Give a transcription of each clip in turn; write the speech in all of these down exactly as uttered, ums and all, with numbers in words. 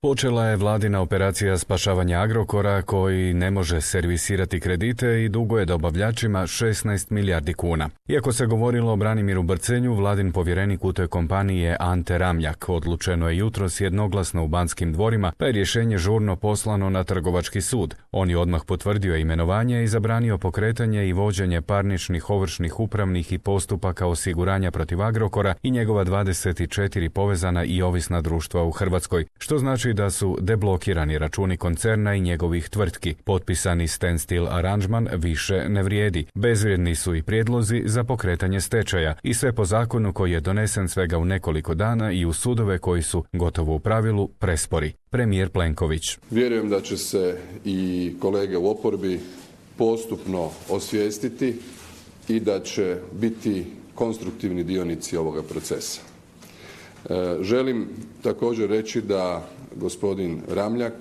Počela je vladina operacija spašavanja Agrokora koji ne može servisirati kredite i duguje dobavljačima šesnaest milijardi kuna. Iako se govorilo o Branimiru Brcenju, vladin povjerenik u toj kompaniji je Ante Ramljak. Odlučeno je jutros jednoglasno u Banskim dvorima, pa je rješenje žurno poslano na Trgovački sud. On je odmah potvrdio imenovanje i zabranio pokretanje i vođenje parničnih, ovršnih, upravnih i postupaka osiguranja protiv Agrokora i njegova dvadeset četiri povezana i ovisna društva u Hrvatskoj, što znači da su deblokirani računi koncerna i njegovih tvrtki. Potpisani standstill aranžman više ne vrijedi. Bezvrijedni su i prijedlozi za pokretanje stečaja i sve po zakonu koji je donesen svega u nekoliko dana i u sudove koji su, gotovo u pravilu, prespori. Premijer Plenković. Vjerujem da će se i kolege u oporbi postupno osvijestiti i da će biti konstruktivni dionici ovoga procesa. Želim također reći da gospodin Ramljak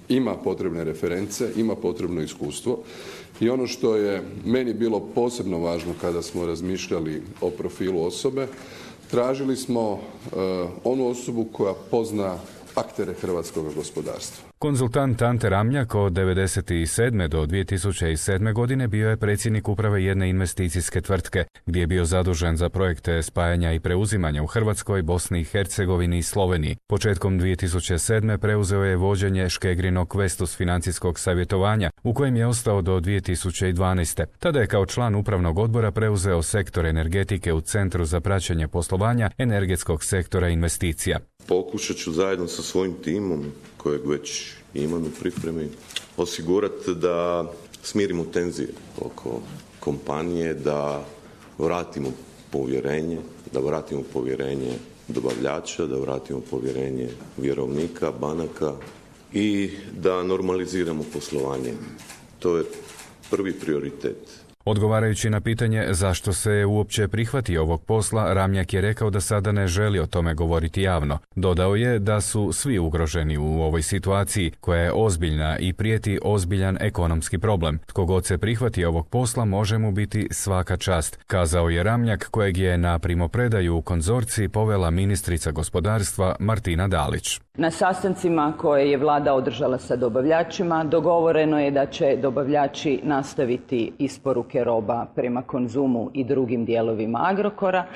ima potrebne reference, ima potrebno iskustvo i ono što je meni bilo posebno važno kada smo razmišljali o profilu osobe, tražili smo onu osobu koja pozna aktere hrvatskog gospodarstva. Konzultant Ante Ramljak od devedeset sedme do dvije tisuće sedme godine bio je predsjednik uprave jedne investicijske tvrtke, gdje je bio zadužen za projekte spajanja i preuzimanja u Hrvatskoj, Bosni i Hercegovini i Sloveniji. Početkom dvije tisuće sedme preuzeo je vođenje Škegrinog Vestus financijskog savjetovanja, u kojem je ostao do dvije tisuće dvanaeste. Tada je kao član upravnog odbora preuzeo sektor energetike u Centru za praćenje poslovanja energetskog sektora investicija. Pokušat ću zajedno sa svojim timom, kojeg već imam u pripremi, osigurati da smirimo tenzije oko kompanije, da vratimo povjerenje, da vratimo povjerenje dobavljača, da vratimo povjerenje vjerovnika, banaka i da normaliziramo poslovanje. To je prvi prioritet. Odgovarajući na pitanje zašto se uopće prihvatio ovog posla, Ramljak je rekao da sada ne želi o tome govoriti javno. Dodao je da su svi ugroženi u ovoj situaciji, koja je ozbiljna i prijeti ozbiljan ekonomski problem. Tko god se prihvati ovog posla može mu biti svaka čast, kazao je Ramljak, kojeg je na primopredaju u konzorciji povela ministrica gospodarstva Martina Dalić. Na sastancima koje je vlada održala sa dobavljačima dogovoreno je da će dobavljači nastaviti isporuke roba prema Konzumu i drugim dijelovima Agrokora,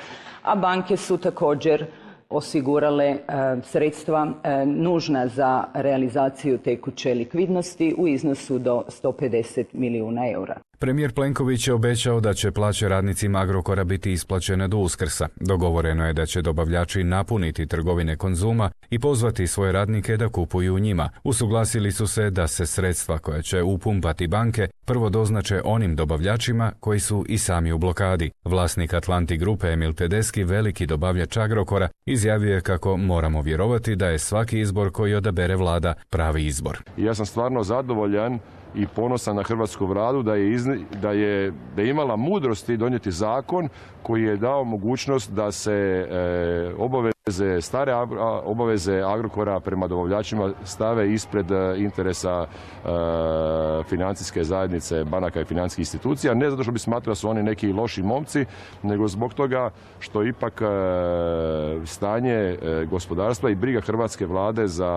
a banke su također osigurale e, sredstva e, nužna za realizaciju tekuće likvidnosti u iznosu do sto pedeset milijuna eura. Premijer Plenković je obećao da će plaće radnicima Agrokora biti isplaćene do Uskrsa. Dogovoreno je da će dobavljači napuniti trgovine Konzuma i pozvati svoje radnike da kupuju u njima. Usuglasili su se da se sredstva koja će upumpati banke prvo doznače onim dobavljačima koji su i sami u blokadi. Vlasnik Atlantic Grupe Emil Tedeschi, veliki dobavljač Agrokora, izjavio je kako moramo vjerovati da je svaki izbor koji odabere vlada pravi izbor. Ja sam stvarno zadovoljan i ponosan na hrvatsku vladu da je, izni, da je da je imala mudrosti donijeti zakon koji je dao mogućnost da se e, obaveze, stare obaveze Agrokora prema dobavljačima stave ispred interesa e, financijske zajednice, banaka i financijskih institucija. Ne zato što bi smatrao da su oni neki loši momci, nego zbog toga što ipak e, stanje e, gospodarstva i briga hrvatske vlade za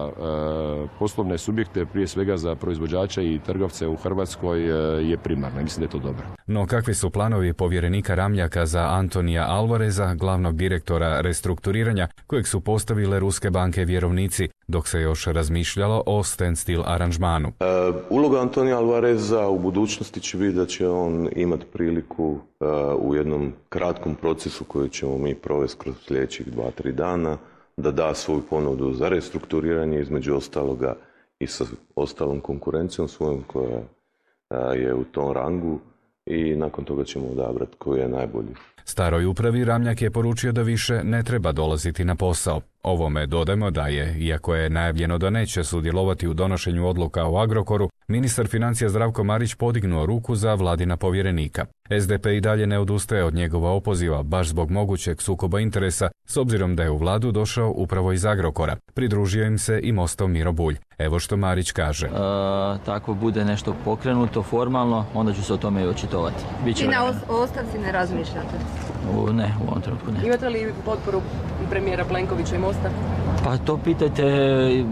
e, poslovne subjekte, prije svega za proizvođače i trgovce u Hrvatskoj, e, je primarna. Mislim da je to dobro. No kakvi su planovi povjerenika Ramljaka za Antonija Alvareza, glavnog direktora restrukturiranja, kojeg su postavile ruske banke vjerovnici, dok se još razmišljalo o standstill aranžmanu? E, uloga Antonija Alvareza u budućnosti će biti da će on imati priliku e, u jednom kratkom procesu koji ćemo mi provesti kroz sljedećih dva, tri dana, da da svoju ponudu za restrukturiranje, između ostaloga i sa ostalom konkurencijom svojom koja e, je u tom rangu, i nakon toga ćemo odabrati koji je najbolji. Staroj upravi Ramljak je poručio da više ne treba dolaziti na posao. Ovome dodajmo da je, iako je najavljeno da neće sudjelovati u donošenju odluka o Agrokoru, ministar financija Zdravko Marić podignuo ruku za vladina povjerenika. S D P i dalje ne odustaje od njegova opoziva, baš zbog mogućeg sukoba interesa, s obzirom da je u vladu došao upravo iz Agrokora. Pridružio im se i Mostov Miro Bulj. Evo što Marić kaže. E, tako bude nešto pokrenuto formalno, onda ću se o tome i očitovati. Biće I na ostavci ne razmišljate? U, ne, u ovom trenutku ne. Imate li potporu premijera Plenkovića i Mosta? Pa to pitajte,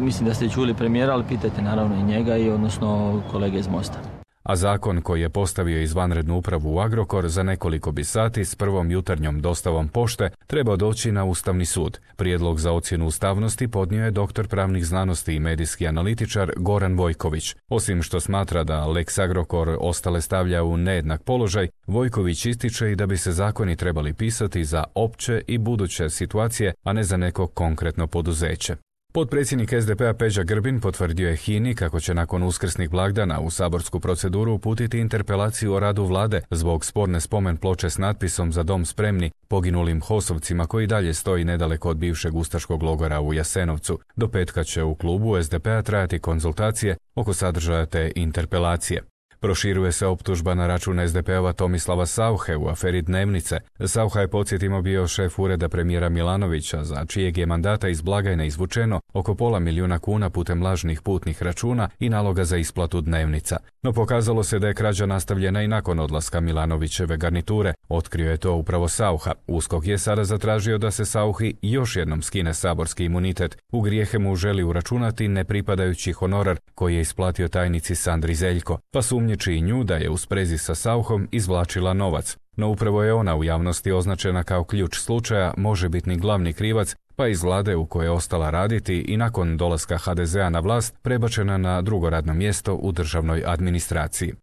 mislim da ste čuli premijera, ali pitajte naravno i njega i odnosno kolege iz Mosta. A zakon koji je postavio izvanrednu upravu u Agrokor za nekoliko bi sati s prvom jutarnjom dostavom pošte trebao doći na Ustavni sud. Prijedlog za ocjenu ustavnosti podnio je doktor pravnih znanosti i medijski analitičar Goran Vojković. Osim što smatra da Lex Agrokor ostale stavlja u nejednak položaj, Vojković ističe i da bi se zakoni trebali pisati za opće i buduće situacije, a ne za neko konkretno poduzeće. Potpredsjednik es de pe-a Peđa Grbin potvrdio je HINA-i kako će nakon uskrsnih blagdana u saborsku proceduru uputiti interpelaciju o radu vlade zbog sporne spomen ploče s natpisom Za dom spremni poginulim hosovcima koji dalje stoji nedaleko od bivšeg ustaškog logora u Jasenovcu. Do petka će u klubu es de pe-a trajati konzultacije oko sadržaja te interpelacije. Proširuje se optužba na račun es de pe-ova Tomislava Sauche u aferi Dnevnice. Saucha je, podsjetimo, bio šef ureda premijera Milanovića, za čijeg je mandata iz blagajne izvučeno oko pola milijuna kuna putem lažnih putnih računa i naloga za isplatu dnevnica. No pokazalo se da je krađa nastavljena i nakon odlaska Milanovićeve garniture. Otkrio je to upravo Saucha. USKOK je sada zatražio da se Sauchi još jednom skine saborski imunitet. U grijehe mu želi uračunati nepripadajući honorar koji je isplatio tajnici Sandri Zeljko, pa sumnjiči i nju da je u sprezi sa Sauchom izvlačila novac. No upravo je ona u javnosti označena kao ključ slučaja, možebitni glavni krivac, pa iz vlade u kojoj je ostala raditi i nakon dolaska ha de zea na vlast prebačena na drugo radno mjesto u državnoj administraciji.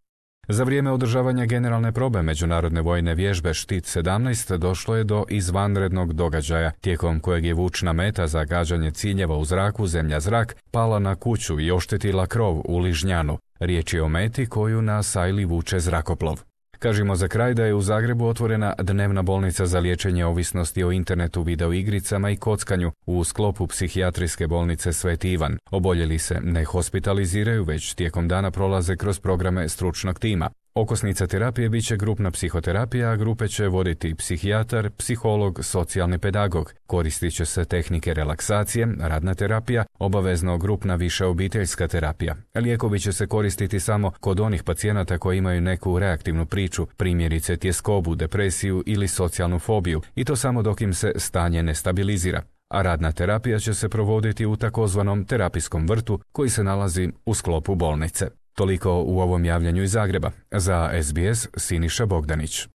Za vrijeme održavanja generalne probe međunarodne vojne vježbe Štit sedamnaest došlo je do izvanrednog događaja, tijekom kojeg je vučna meta za gađanje ciljeva u zraku zemlja-zrak pala na kuću i oštetila krov u Ližnjanu. Riječ je o meti koju na sajli vuče zrakoplov. Kažemo za kraj da je u Zagrebu otvorena dnevna bolnica za liječenje ovisnosti o internetu, videoigricama i kockanju u sklopu psihijatrijske bolnice Sveti Ivan. Oboljeli se ne hospitaliziraju, već tijekom dana prolaze kroz programe stručnog tima. Okosnica terapije bit će grupna psihoterapija, a grupe će voditi psihijatar, psiholog, socijalni pedagog. Koristit će se tehnike relaksacije, radna terapija, obavezno grupna viša obiteljska terapija. Lijekovi će se koristiti samo kod onih pacijenata koji imaju neku reaktivnu priču, primjerice tjeskobu, depresiju ili socijalnu fobiju, i to samo dok im se stanje ne stabilizira. A radna terapija će se provoditi u takozvanom terapijskom vrtu koji se nalazi u sklopu bolnice. Toliko u ovom javljanju iz Zagreba. Za es be es Siniša Bogdanić.